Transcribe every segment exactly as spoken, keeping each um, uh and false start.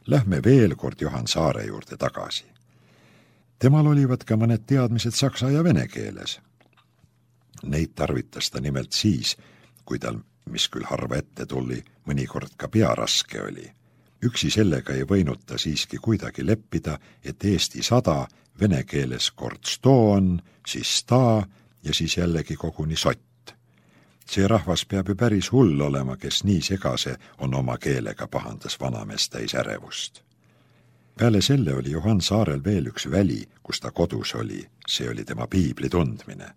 Lähme veel kord Johan Saare juurde tagasi. Temal olivad ka mõned teadmised saksa ja vene keeles. Neid tarvitas ta nimelt siis, kui tal, mis küll harva ette tuli, mõnikord ka pea raske oli. Üksi sellega ei võinud ta siiski kuidagi leppida, et Eesti sada vene keeles kord sto on, siis sta ja siis jällegi koguni sott. See rahvas peab ju päris hull olema, kes nii segase on oma keelega, pahandas vanamees täis ärevust. Peale selle oli Johan Saarel veel üks väli, kus ta kodus oli, see oli tema piibli tundmine.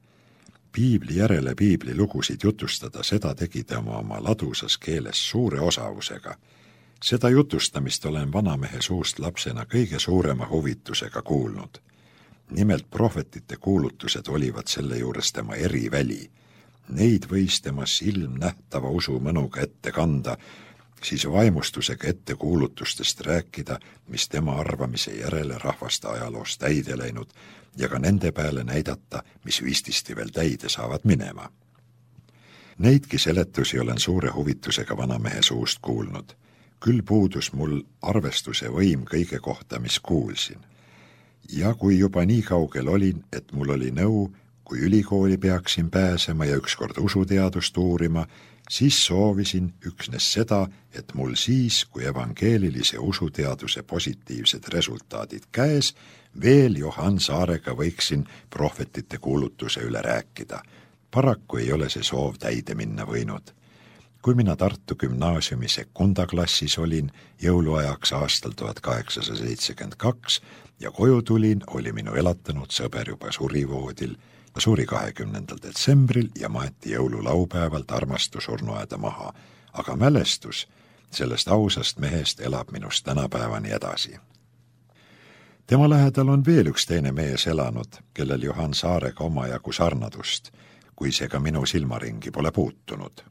Piibli järele piibli lugusid jutustada, seda tegi tema oma ladusas keeles suure osavusega. Seda jutustamist olen vanamehe suust lapsena kõige suurema huvitusega kuulnud. Nimelt prohvetite kuulutused olivad selle juures tema eriväli. Neid võis tema silmnähtava usu mõnuga ette kanda, siis vaimustusega ette kuulutustest rääkida, mis tema arvamise järele rahvaste ajaloos täide läinud, ja ka nende peale näidata, mis vististi veel täide saavad minema. Neidki seletusi olen suure huvitusega vanamehe suust kuulnud. Küll puudus mul arvestuse võim kõige kohta, mis kuulsin. Ja kui juba nii kaugel olin, et mul oli nõu, kui ülikooli peaksin pääsema ja ükskord usuteadust uurima, siis soovisin üksnes seda, et mul siis, kui evangeelilise usuteaduse positiivsed resultaadid käes, veel Johan Saarega võiksin prohvetite kuulutuse üle rääkida. Paraku ei ole see soov täide minna võinud. Kui mina Tartu gümnaasiumi sekundaklassis olin jõuluajaks aastal tuhat kaheksasada seitsekümmend kaks ja koju tulin, oli minu elatanud sõber juba surivoodil, suri kahekümnendal detsembril ja maeti jõululaupäevalt armastusurnuaeda maha, aga mälestus sellest ausast mehest elab minust tänapäevani edasi. Tema lähedal on veel üks teine mees elanud, kellel Johan Saarega omajagu sarnadust, kui see ka minu silmaringi pole puutunud.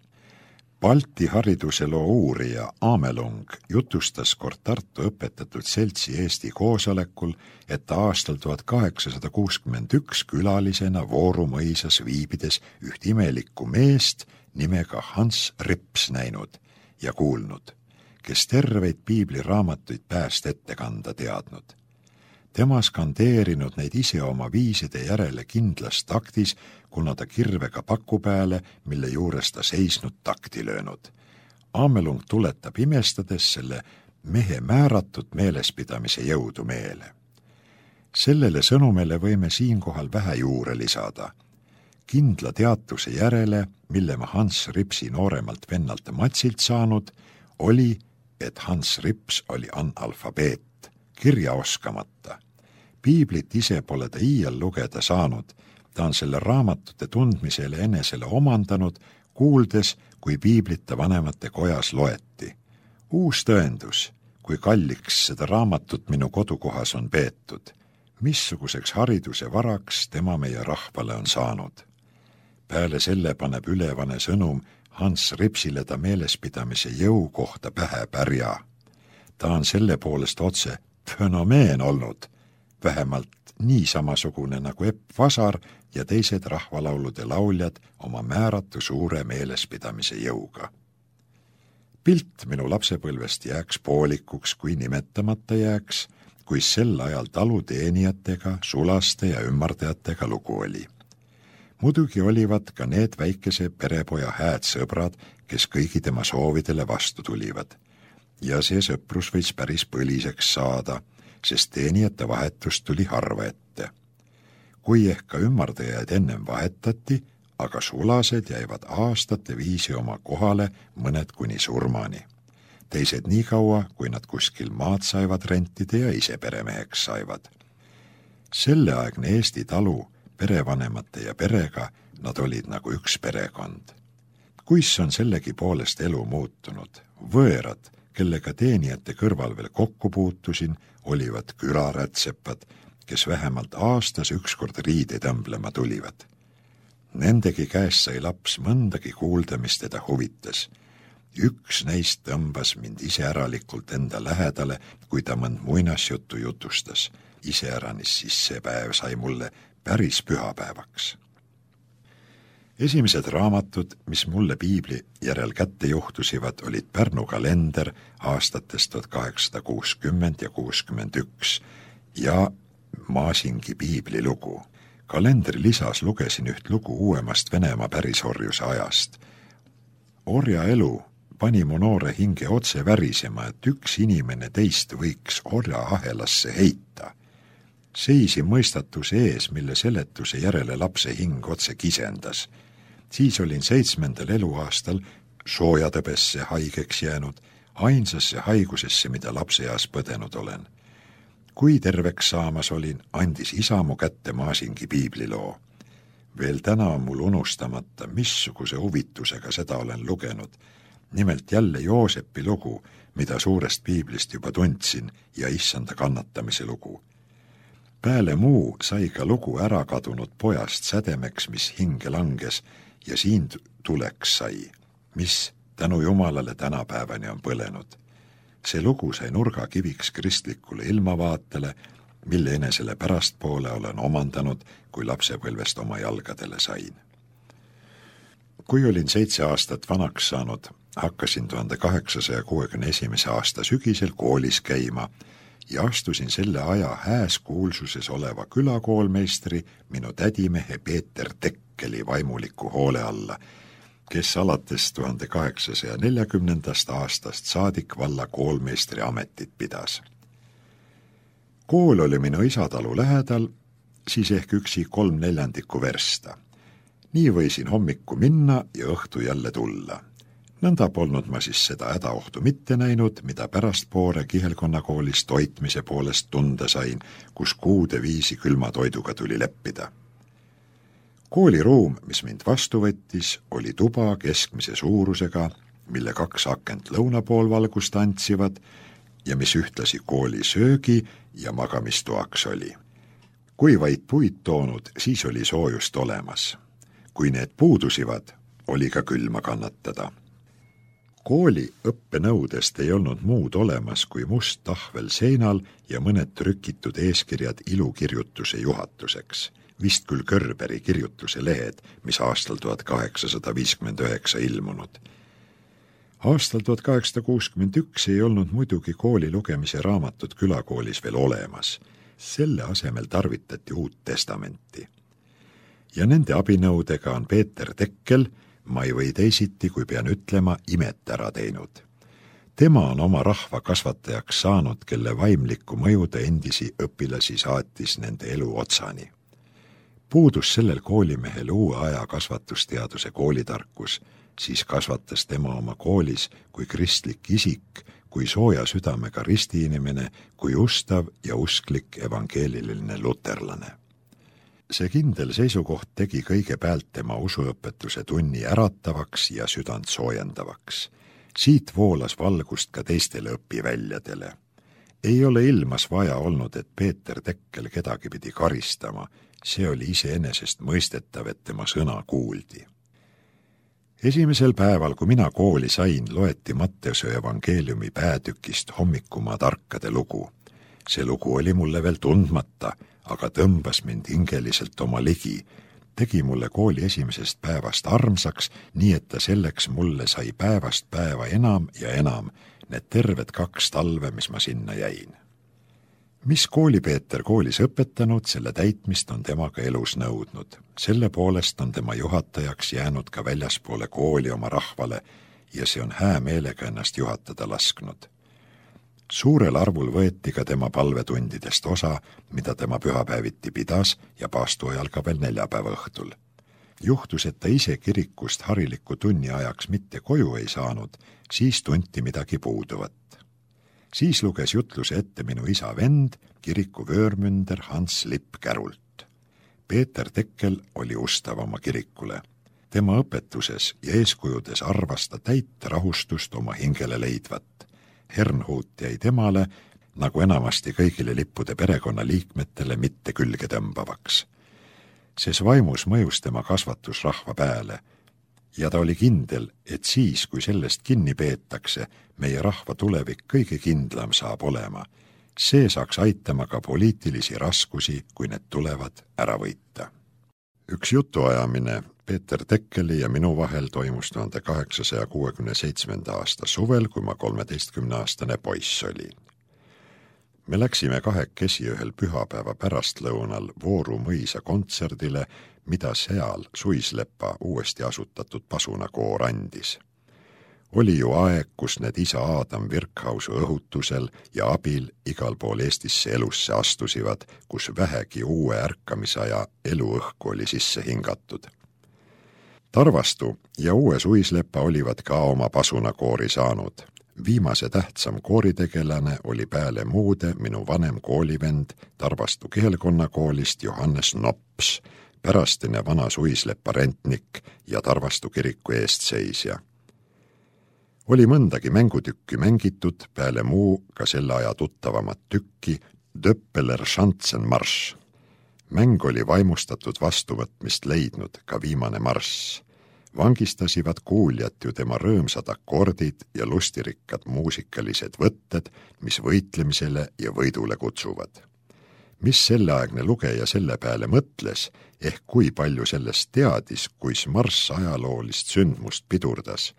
Balti hariduseloo uurija Amelung jutustas kord Tartu õpetatud seltsi Eesti koosolekul, et ta aastal tuhat kaheksasada kuuskümmend üks külalisena Vooru mõisas viibides üht imelikku meest nimega Hans Rips näinud ja kuulnud, kes terveid piibliraamatuid pääst ette kanda teadnud. Tema skandeerinud neid ise oma viiside järele kindlas taktis, kuna ta kirvega paku peale, mille juures ta seisnud takti löönud. Amelung tuletab imestades selle mehe määratud meelespidamise jõudu meele. Sellele sõnumele võime siinkohal vähe juurde lisada. Kindla teatuse järele, mille ma Hans Ripsi nooremalt vennalt Matsilt saanud, oli, et Hans Rips oli analfabeet, kirja oskamata. Piiblit ise pole ta iial lugeda saanud, ta on selle raamatute tundmisele enesele omandanud, kuuldes, kui piiblita vanemate kojas loeti. Uus tõendus, kui kalliks seda raamatut minu kodukohas on peetud, missuguseks hariduse varaks tema meie rahvale on saanud. Peale selle paneb ülevane sõnum Hans Ripsile ta meelespidamise jõu kohta pähe pärja. Ta on selle poolest otse fenomeen olnud, vähemalt nii samasugune nagu Epp Vasar ja teised rahvalaulude lauljad oma määratu suure meelespidamise jõuga. Pilt minu lapsepõlvest jääks poolikuks, kui nimetamata jääks, kui sel ajal taluteenijatega, sulaste ja ümmardajatega lugu oli. Muidugi olivad ka need väikese perepoja hääd sõbrad, kes kõigi tema soovidele vastu tulivad. Ja see sõprus võis päris põliseks saada, sest teenijate vahetust tuli harva ette. Kui ehk ka ümmardajaid ennem vahetati, aga sulased jäivad aastate viisi oma kohale mõned kuni surmani. Teised nii kaua, kui nad kuskil maad saivad rentida ja ise peremeheks saivad. Selleaegne Eesti talu perevanemate ja perega nad olid nagu üks perekond. Kuis on sellegi poolest elu muutunud, võõrad, kellega teenijate kõrval veel kokku puutusin, olivad külarätsepad, kes vähemalt aastas ükskord riide tõmblema tulivad. Nendegi käest sai laps mõndagi kuulda, mis teda huvitas. Üks neist tõmbas mind iseäralikult enda lähedale, kui ta mõnd muinasjuttu jutustas. Iseäranis siis see päev sai mulle päris pühapäevaks. Esimesed raamatud, mis mulle piibli järel kätte juhtusivad, olid Pärnu kalender aastatest tuhat kaheksasada kuuskümmend ja kuuskümmend üks ja Maasingi piiblilugu. Kalendri lisas lugesin üht lugu uuemast Venemaa pärisorjuse ajast. Orjaelu pani mu noore hinge otse värisema, et üks inimene teist võiks orjaahelasse heita. Seisi mõistatuse ees, mille seletuse järele lapse hing otse kisendas. Siis olin seitsmendal eluaastal soojatõbesse haigeks jäänud, ainsasse haigusesse, mida lapseeas põdenud olen. Kui terveks saamas olin, andis isa mu kätte Maasingi piibliloo. Veel täna on mul unustamata, missuguse huvitusega seda olen lugenud. Nimelt jälle Joosepi lugu, mida suurest piiblist juba tundsin, ja issanda kannatamise lugu. Pääle muu sai ka lugu ära kadunud pojast sädemeks, mis hinge langes, ja siin tuleks sai, mis tänu Jumalale tänapäevani on põlenud. See lugu sai nurgakiviks kristlikule ilmavaatele, mille enesele pärastpoole olen omandanud, kui lapsepõlvest oma jalgadele sain. Kui olin seitse aastat vanaks saanud, hakkasin tuhande kaheksasaja kuuekümne esimese aasta sügisel koolis käima ja astusin selle aja hääs kuulsuses oleva külakoolmeistri, minu tädimehe Peeter Tekkeli vaimuliku hoole alla, kes alates tuhande kaheksasaja neljakümnendast aastast saadik valla koolmeistri ametit pidas. Kool oli minu isatalu lähedal, siis ehk üksi kolm neljandikku versta. Nii võisin hommikku minna ja õhtu jälle tulla. Nõnda polnud ma siis seda hädaohtu mitte näinud, mida pärast poore kihelkonnakoolis toitmise poolest tunda sain, kus kuude viisi külma toiduga tuli leppida. Kooliruum, mis mind vastu võttis, oli tuba keskmise suurusega, mille kaks akent lõunapool valgust antsivad ja mis ühtlasi kooli söögi ja magamistoaks oli. Kui vaid puid toonud, siis oli soojust olemas. Kui need puudusivad, oli ka külma kannatada. Kooli õppenõudest ei olnud muud olemas kui must tahvel seinal ja mõned trükitud eeskirjad ilukirjutuse juhatuseks. Vist küll Körberi kirjutuse lehed, mis aastal tuhat kaheksasada viiskümmend üheksa ilmunud. Aastal tuhat kaheksasada kuuskümmend üks ei olnud muidugi kooli lugemise raamatut külakoolis veel olemas. Selle asemel tarvitati uut testamenti. Ja nende abinõudega on Peeter Tekkel, ma ei või teisiti, kui pean ütlema, imet ära teinud. Tema on oma rahva kasvatajaks saanud, kelle vaimlikku mõjude endisi õpilasi saatis nende elu otsani. Puudus sellel koolimehel uue aja kasvatusteaduse koolitarkus, siis kasvatas tema oma koolis kui kristlik isik, kui sooja südamega ristiinimene, kui ustav ja usklik evangeeliline luterlane. See kindel seisukoht tegi kõige päält tema usuõpetuse tunni äratavaks ja südant soojendavaks. Siit voolas valgust ka teistele õpiväljadele. Ei ole ilmas vaja olnud, et Peeter Tekkel kedagi pidi karistama, see oli iseenesest mõistetav, et tema sõna kuuldi. Esimesel päeval, kui mina kooli sain, loeti Matteuse evangeeliumi päätükist Hommikumaa tarkade lugu. See lugu oli mulle veel tundmata, aga tõmbas mind hingeliselt oma ligi, tegi mulle kooli esimesest päevast armsaks, nii et ta selleks mulle sai päevast päeva enam ja enam, need terved kaks talve, mis ma sinna jäin. Mis koolipeeter koolis õpetanud, selle täitmist on temaga elus nõudnud. Selle poolest on tema juhatajaks jäänud ka väljaspoole kooli oma rahvale ja see on hää meelega ennast juhatada lasknud. Suurel arvul võeti ka tema palvetundidest osa, mida tema pühapäeviti pidas ja paastuajal ka veel neljapäeva õhtul. Juhtus, et ta ise kirikust hariliku tunni ajaks mitte koju ei saanud, siis tunti midagi puuduvat. Siis luges jutluse ette minu isa vend, kiriku vöörmünder Hans Lipp Kärult. Peeter Tekkel oli ustav oma kirikule. Tema õpetuses ja eeskujudes arvas ta täit rahustust oma hingele leidvat. Hernhuut jäi temale, nagu enamasti kõigile lippude perekonna liikmetele, mitte külge tõmbavaks. Ses vaimus mõjus tema kasvatus rahva pääle ja ta oli kindel, et siis, kui sellest kinni peetakse, meie rahva tulevik kõige kindlam saab olema. See saaks aitama ka poliitilisi raskusi, kui need tulevad ära võita. Üks jutuajamine Peeter Tekkeli ja minu vahel toimus tuhande kaheksasaja kuuekümne seitsmenda aasta suvel, kui ma kolmeteistkümneaastane poiss olin. Me läksime kahekesi ühel pühapäeva pärastlõunal Vooru mõisa kontserdile, mida seal Suislepa uuesti asutatud pasunakoor andis. Oli ju aeg, kus need isa Adam Virkhausu õhutusel ja abil igal pool Eestisse elusse astusivad, kus vähegi uue ärkamisaja eluõhku oli sisse hingatud. Tarvastu ja uue Suislepa olivad ka oma pasunakoori saanud. Viimase tähtsam kooritegelane oli peale muude minu vanem koolivend Tarvastu kihelkonnakoolist Johannes Nops, pärastine vana Suislepa rentnik ja Tarvastu kiriku eestseisja. Oli mõndagi mängutükki mängitud, peale muu ka selle aja tuttavamat tükki Döppeler Schanzenmarsch. Mäng oli vaimustatud vastuvõtmist leidnud, ka viimane marss. Vangistasivad kuuljat ju tema rõõmsad akordid ja lustirikkad muusikalised võtted, mis võitlemisele ja võidule kutsuvad. Mis selleaegne lugeja selle peale mõtles, ehk kui palju sellest teadis, kuis marss ajaloolist sündmust pidurdas,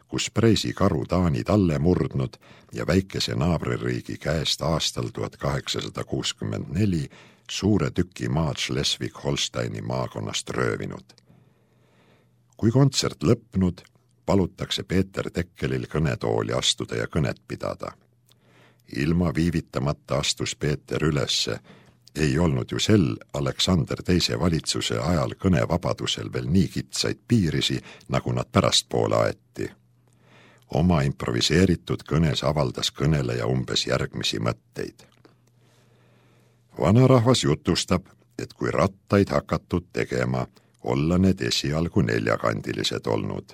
kus Preisi karu Taanid alle murdnud ja väikese naabririigi käest aastal tuhat kaheksasada kuuskümmend neli suure tüki maad Schleswig-Holsteini maakonnast röövinud. Kui kontsert lõpnud, palutakse Peeter Tekkelil kõnetooli astuda ja kõnet pidada. Ilma viivitamata astus Peeter ülesse. Ei olnud ju sel Aleksander teise valitsuse ajal kõnevabadusel veel nii kitsaid piirisi, nagu nad pärastpoole aeti. Oma improviseeritud kõnes avaldas kõneleja umbes järgmisi mõtteid. Vanarahvas jutustab, et kui rattaid hakatud tegema, olla need esialgu neljakandilised olnud.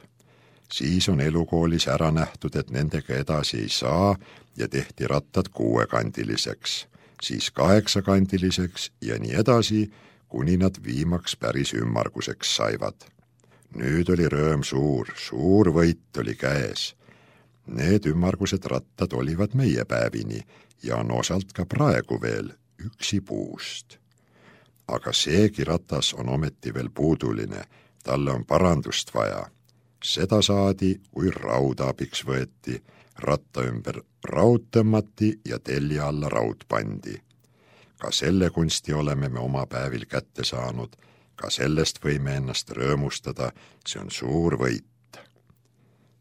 Siis on elukoolis ära nähtud, et nendega edasi ei saa ja tehti rattad kuuekandiliseks, siis kaheksakandiliseks ja nii edasi, kuni nad viimaks päris ümmarguseks saivad. Nüüd oli rööm suur, suur võit oli käes. Need ümmargused rattad olivad meie päevini ja on osalt ka praegu veel üksi puust. Aga seegi ratas on ometi veel puuduline, talle on parandust vaja. Seda saadi, kui rauda abiks võeti, ratta ümber raud tõmmati ja telja alla raud pandi. Ka selle kunsti oleme me oma päevil kätte saanud, ka sellest võime ennast rõõmustada, see on suur võit.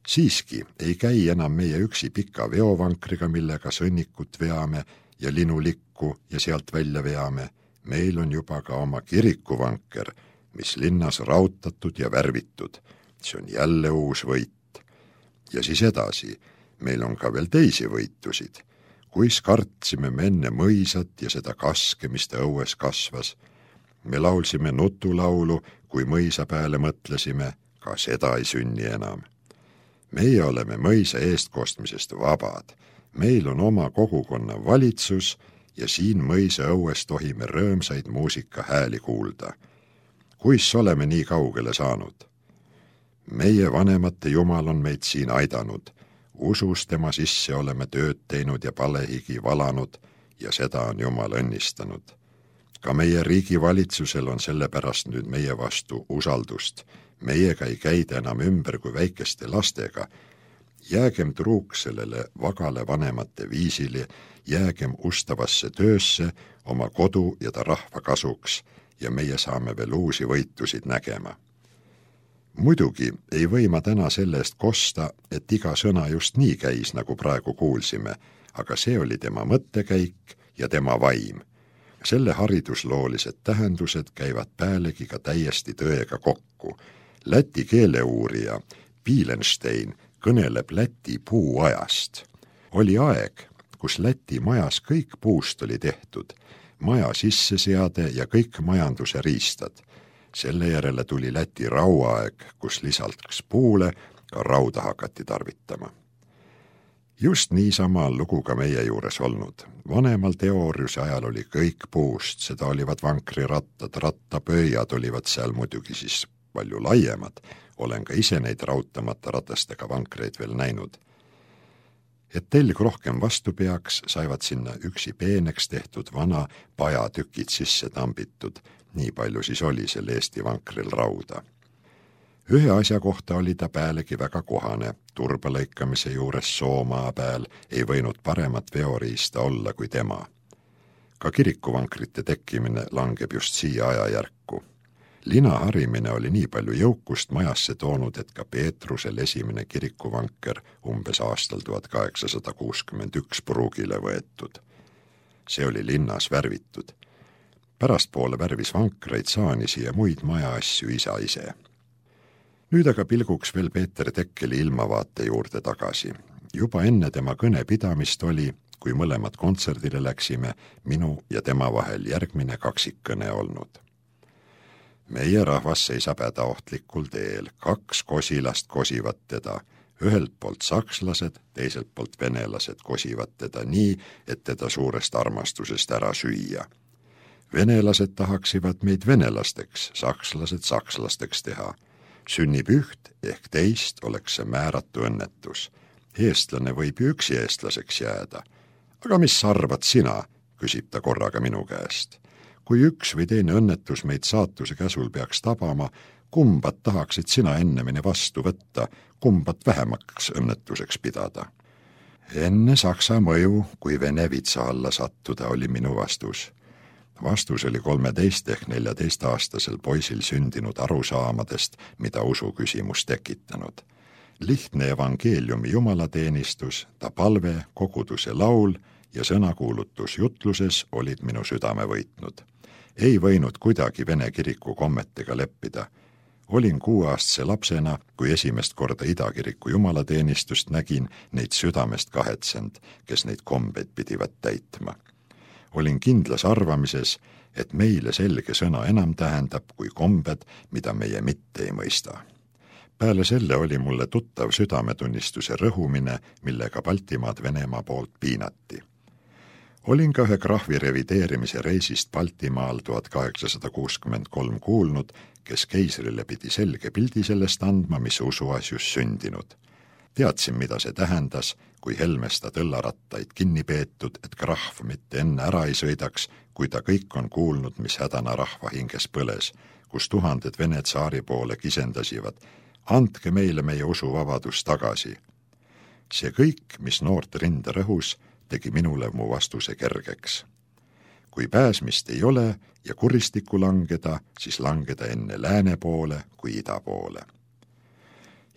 Siiski ei käi enam meie üksi pika veovankriga, millega sõnnikut veame ja linulikku ja sealt välja veame. Meil on juba ka oma kirikuvanker, mis linnas rautatud ja värvitud. See on jälle uus võit. Ja siis edasi, meil on ka veel teisi võitusid. Kuis kartsime me enne mõisat ja seda kaske, mis ta õues kasvas. Me laulsime nutulaulu, kui mõisa peale mõtlesime, ka seda ei sünni enam. Meie oleme mõisa eestkostmisest vabad. Meil on oma kogukonna valitsus ja siin mõisa õues tohime rõõmsaid muusika hääli kuulda. Kuis oleme nii kaugele saanud? Meie vanemate Jumal on meid siin aidanud. Usus tema sisse oleme tööd teinud ja palehigi valanud ja seda on Jumal õnnistanud. Ka meie riigi valitsusel on sellepärast nüüd meie vastu usaldust. Meiega ei käida enam ümber kui väikeste lastega. Jäägem truuks sellele vagale vanemate viisili, jäägem ustavasse töösse oma kodu ja ta rahva kasuks ja meie saame veel uusi võitusid nägema. Muidugi ei või ma täna selle eest kosta, et iga sõna just nii käis, nagu praegu kuulsime, aga see oli tema mõttekäik ja tema vaim. Selle haridusloolised tähendused käivad päälegi ka täiesti tõega kokku. Läti keeleuurija Piilenstein kõneleb Läti puuajast. Oli aeg, kus Läti majas kõik puust oli tehtud, maja sisseseade ja kõik majanduse riistad. Selle järele tuli Läti rauaaeg, kus lisaks puule ka rauda hakati tarvitama. Just niisama on lugu ka meie juures olnud. Vanemal teooriuse ajal oli kõik puust, seda olivad vankrirattad, rattapöiad olivad seal muidugi siis palju laiemad. Olen ka ise neid raudtamata ratastega vankreid veel näinud. Et telg rohkem vastu peaks, saivad sinna üksi peeneks tehtud vana pajatükid sisse tambitud. Nii palju siis oli sel Eesti vankril rauda. Ühe asja kohta oli ta päälegi väga kohane. Turbalõikamise juures Soomaa pääl ei võinud paremat veoriista olla kui tema. Ka kirikuvankrite tekkimine langeb just siia ajajärku. Lina harimine oli nii palju jõukust majasse toonud, et ka Peetrusel esimene kirikuvanker umbes aastal tuhat kaheksasada kuuskümmend üks pruugile võetud. See oli linnas värvitud. Pärastpoole värvis vankreid, saanisi ja muid majaasju isa ise. Nüüd aga pilguks veel Peeter Tekkeli ilmavaate juurde tagasi. Juba enne tema kõne pidamist oli, kui mõlemad kontserdile läksime, minu ja tema vahel järgmine kaksikkõne olnud. Meie rahvas seisab hädaohtlikul teel, kaks kosilast kosivad teda, ühelt poolt sakslased, teiselt poolt venelased kosivad teda nii, et teda suurest armastusest ära süüa. Venelased tahaksivad meid venelasteks, sakslased sakslasteks teha. Sünnib üht ehk teist oleks see määratu õnnetus. Eestlane võib ju üksi eestlaseks jääda. Aga mis arvad sina, küsib ta korraga minu käest. Kui üks või teine õnnetus meid saatuse käsul peaks tabama, kumbat tahaksid sina ennemini vastu võtta, kumbat vähemaks õnnetuseks pidada? Enne Saksa mõju, kui Vene vitsa alla sattuda, oli minu vastus. Vastus oli kolmeteist ehk neljateist aastasel poisil sündinud arusaamadest, mida usu küsimus tekitanud. Lihtne evangeeliumi jumalateenistus, ta palve, koguduse laul ja sõnakuulutus jutluses olid minu südame võitnud. Ei võinud kuidagi Vene kiriku kommetega leppida. Olin kuueaastase lapsena, kui esimest korda idakiriku jumalateenistust nägin, neid südamest kahetsend, kes neid kombeid pidivad täitma. Olin kindlas arvamises, et meile selge sõna enam tähendab kui kombed, mida meie mitte ei mõista. Peale selle oli mulle tuttav südametunnistuse rõhumine, millega Baltimaad Venemaa poolt piinati. Olin ka ühe krahvi revideerimise reisist Baltimaal tuhat kaheksasada kuuskümmend kolm kuulnud, kes keisrile pidi selge pildi sellest andma, mis usuasjus sündinud. Teadsin, mida see tähendas, kui Helmesta tõllarattaid kinni peetud, et krahv mitte enne ära ei sõidaks, kui ta kõik on kuulnud, mis hädana rahva hinges põles, kus tuhanded Vene tsaari poole kisendasivad. Andke meile meie usuvabadus tagasi. See kõik, mis noort rinda rõhus, tegi minule mu vastuse kergeks. Kui pääsmist ei ole ja kuristikku langeda, siis langeda enne lääne poole kui ida poole.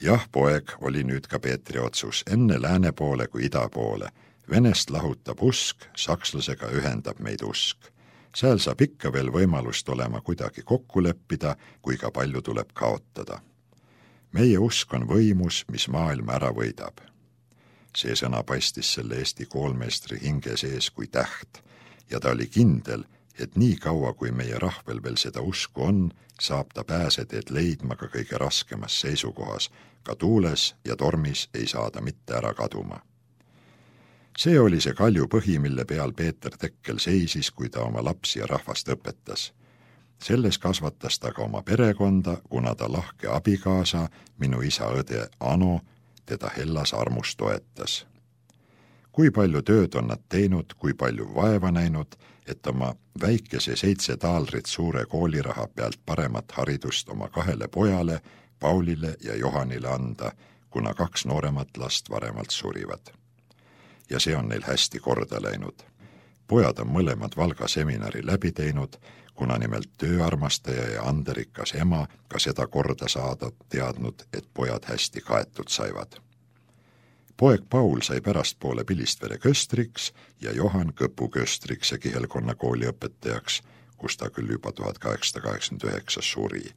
Jah, poeg, oli nüüd ka Peetri otsus, enne lääne poole kui ida poole. Venest lahutab usk, sakslasega ühendab meid usk. Seal saab ikka veel võimalust olema kuidagi kokku leppida, kui ka palju tuleb kaotada. Meie usk on võimus, mis maailma ära võidab. See sõna paistis selle Eesti koolmeestri hinge sees kui täht ja ta oli kindel, et nii kaua, kui meie rahvel veel seda usku on, saab ta pääseteed leidma ka kõige raskemas seisukohas, ka tuules ja tormis ei saada mitte ära kaduma. See oli see kalju põhi, mille peal Peeter Tekkel seisis, kui ta oma lapsi ja rahvast õpetas. Selles kasvatas ta ka oma perekonda, kuna ta lahke abikaasa, minu isa õde Ano, teda hellas armus toetas. Kui palju tööd on nad teinud, kui palju vaeva näinud, et oma väikese seitse taalrit suure kooliraha pealt paremat haridust oma kahele pojale, Paulile ja Johanile anda, kuna kaks nooremat last varemalt surivad. Ja see on neil hästi korda läinud. Pojad on mõlemad Valga seminari läbi teinud, kuna nimelt tööarmastaja ja anderikas ema ka seda korda saada teadnud, et pojad hästi kaetud saivad. Poeg Paul sai pärastpoole Pilistvere köstriks ja Johan Kõpu köstriks ja Kihelkonna kooli õpetajaks, kus ta küll juba tuhat kaheksasada kaheksakümmend üheksa suri.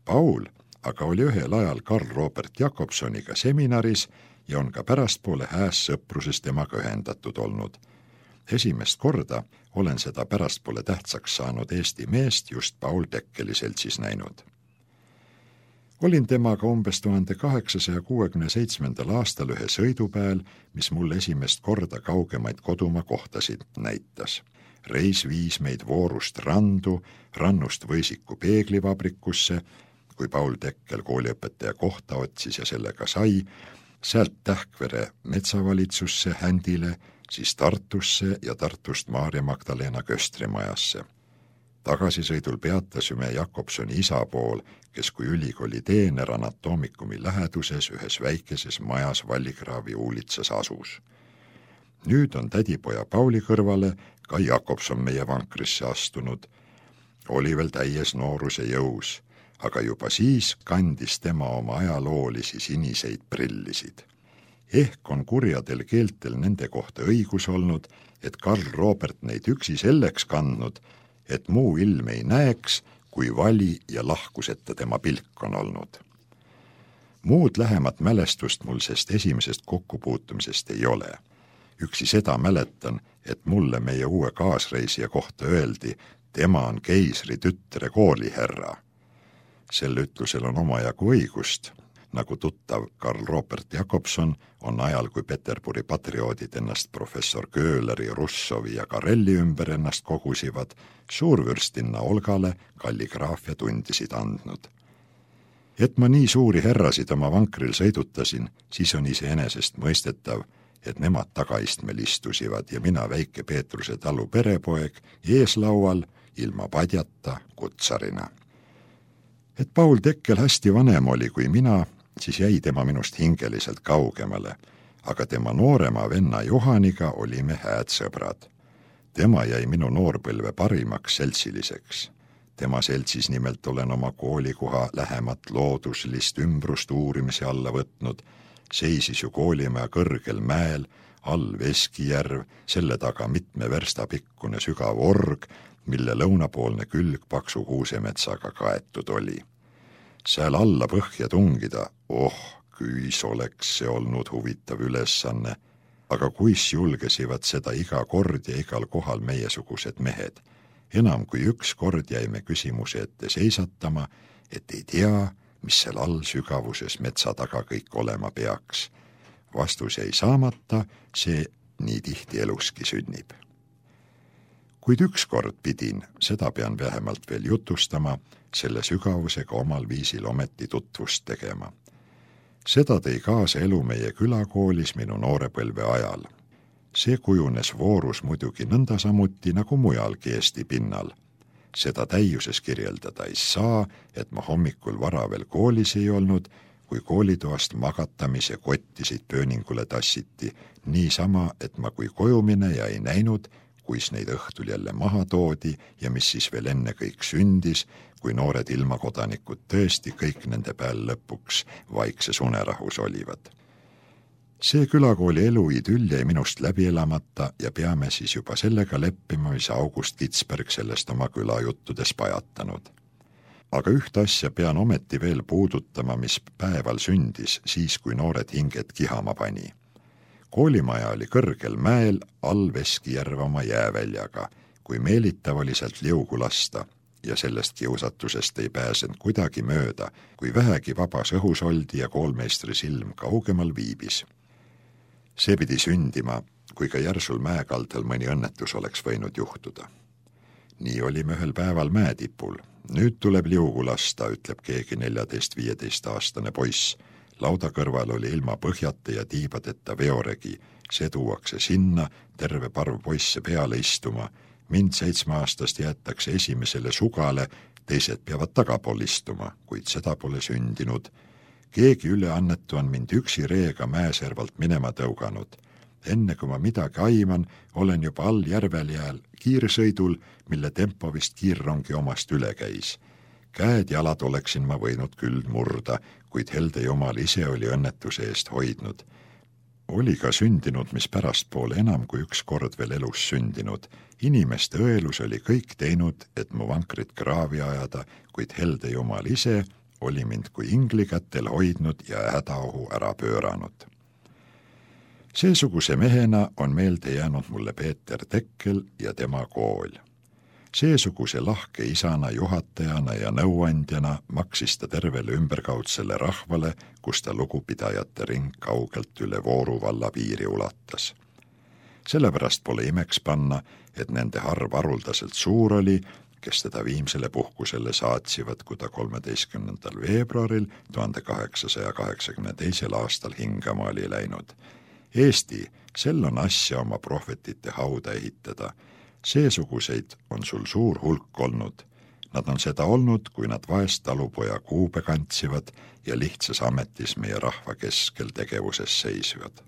Paul aga oli ühel ajal Karl Robert Jakobsoniga seminaris ja on ka pärastpoole hääs sõpruses temaga ühendatud olnud. Esimest korda olen seda pärastpoole tähtsaks saanud Eesti meest just Paul Tekkeli seltsis näinud. Olin temaga umbes tuhande kaheksasaja kuuekümne seitsmendal aastal ühe sõidupäel, mis mul esimest korda kaugemaid kodumaa kohtasid näitas. Reis viis meid Voorust randu, rannust Võisiku peeglivabrikusse, kui Paul Tekkel kooliõpetaja kohta otsis ja sellega sai, sealt Tähkvere metsavalitsusse Händile, siis Tartusse ja Tartust Maarja Magdalena köstrimajasse. Tagasisõidul peatasime Jakobsoni isa pool, kes kui ülikooli teener anatoomikumi läheduses ühes väikeses majas Vallikraavi uulitsas asus. Nüüd on tädipoja Pauli kõrvale ka Jakobson meie vankrisse astunud. Oli veel täies nooruse jõus, aga juba siis kandis tema oma ajaloolisi siniseid prillisid. Ehk on kurjadel keeltel nende kohta õigus olnud, et Karl Robert neid üksi selleks kandnud, et muu ilm ei näeks, kui vali ja lahkuseta tema pilk on olnud. Muud lähemat mälestust mul sest esimesest kokkupuutumisest ei ole. Üksi seda mäletan, et mulle meie uue kaasreisija kohta öeldi, tema on keisri tütre kooliherra. Sel ütlusel on omajagu õigust, nagu tuttav Karl Robert Jakobson on ajal, kui Peterburi patrioodid ennast professor Köhleri, Russovi ja Karelli ümber ennast kogusivad, suurvürstinna Olgale kalligraafia tundisid andnud. Et ma nii suuri herrasid oma vankril sõidutasin, siis on iseenesest mõistetav, et nemad tagaistmel istusivad ja mina väike Peetruse talu perepoeg eeslaual ilma padjata kutsarina. Et Paul Tekkel hästi vanem oli kui mina, siis jäi tema minust hingeliselt kaugemale, aga tema noorema venna Johaniga olime hääd sõbrad. Tema jäi minu noorpõlve parimaks seltsiliseks. Tema seltsis nimelt olen oma koolikoha lähemat looduslist ümbrust uurimise alla võtnud, seisis ju koolimaja kõrgel mäel, all Veskijärv, selle taga mitme versta pikkune sügav org, mille lõunapoolne külg paksu kuusemetsaga kaetud oli. Sääl alla põhja tungida, oh, kuis oleks see olnud huvitav ülesanne, aga kuis julgesivad seda iga kord ja igal kohal meiesugused mehed. Enam kui üks kord jäime küsimuse ette seisatama, et ei tea, mis seal all sügavuses metsa taga kõik olema peaks. Vastus jäi saamata, see nii tihti eluski sünnib. Kuid üks kord pidin, seda pean vähemalt veel jutustama, selle sügavusega omal viisil ometi tutvust tegema. Seda tõi kaasa elu meie külakoolis minu noorepõlve ajal. See kujunes voorus muidugi nõnda samuti nagu mujalgi Eesti pinnal. Seda täiuses kirjeldada ei saa, et ma hommikul vara veel koolis ei olnud, kui koolitoast magatamise kottisid pööningule tassiti, niisama, et ma kui kojumine ja ei näinud, kuis neid õhtul jälle maha toodi ja mis siis veel enne kõik sündis, kui noored ilmakodanikud tõesti kõik nende peal lõpuks vaikses unerahus olivad. See külakooli elu idüll jäi minust läbi elamata ja peame siis juba sellega leppima, mis August Kitsberg sellest oma külajuttudes pajatanud. Aga üht asja pean ometi veel puudutama, mis päeval sündis, siis kui noored hinged kihama pani. Koolimaja oli kõrgel mäel all Veskijärv oma jääväljaga, kui meelitav oli sealt liugu lasta ja sellest kiusatusest ei pääsenud kuidagi mööda, kui vähegi vabas õhus oldi ja koolmeistri silm kaugemal viibis. See pidi sündima, kui ka järsul mäekaldal mõni õnnetus oleks võinud juhtuda. Nii olime ühel päeval mäetipul. Nüüd tuleb liugu lasta, ütleb keegi neljateist-viieteist aastane poiss. Lauda kõrval oli ilma põhjata ja tiibadeta veoregi. See tuuakse sinna, terve parv poisse peale istuma. Mind seitsmeaastast jäetakse esimesele sugale, teised peavad tagapool istuma, kuid seda pole sündinud. Keegi üleannetu on mind üksi reega mäeservalt minema tõuganud. Enne kui ma midagi aiman, olen juba all järveljääl kiirsõidul, mille tempo vist kiirrongi omast üle käis. Käed jalad oleksin ma võinud küll murda, kuid helde jumal ise oli õnnetuse eest hoidnud. Oli ka sündinud, mis pärastpoole enam kui üks kord veel elus sündinud. Inimeste õelus oli kõik teinud, et mu vankrit kraavi ajada, kuid helde jumal ise oli mind kui ingli kätel hoidnud ja hädaohu ära pööranud. Seesuguse mehena on meelde jäänud mulle Peeter Tekkel ja tema kool. Seesuguse lahke isana, juhatajana ja nõuandjana maksis ta tervele ümberkaudsele rahvale, kus ta lugupidajate ring kaugelt üle Vooru valla piiri ulatas. Sellepärast pole imeks panna, et nende arv haruldaselt suur oli, kes teda viimsele puhkusele saatsivad, kui ta kolmeteistkümnendal veebruaril tuhande kaheksasaja kaheksakümne teisel aastal hingama oli läinud. Eesti, sel on asja oma prohvetite hauda ehitada. Seesuguseid on sul suur hulk olnud. Nad on seda olnud, kui nad vaest talupoja kuube kantsivad ja lihtsas ametis meie rahva keskel tegevuses seisvad.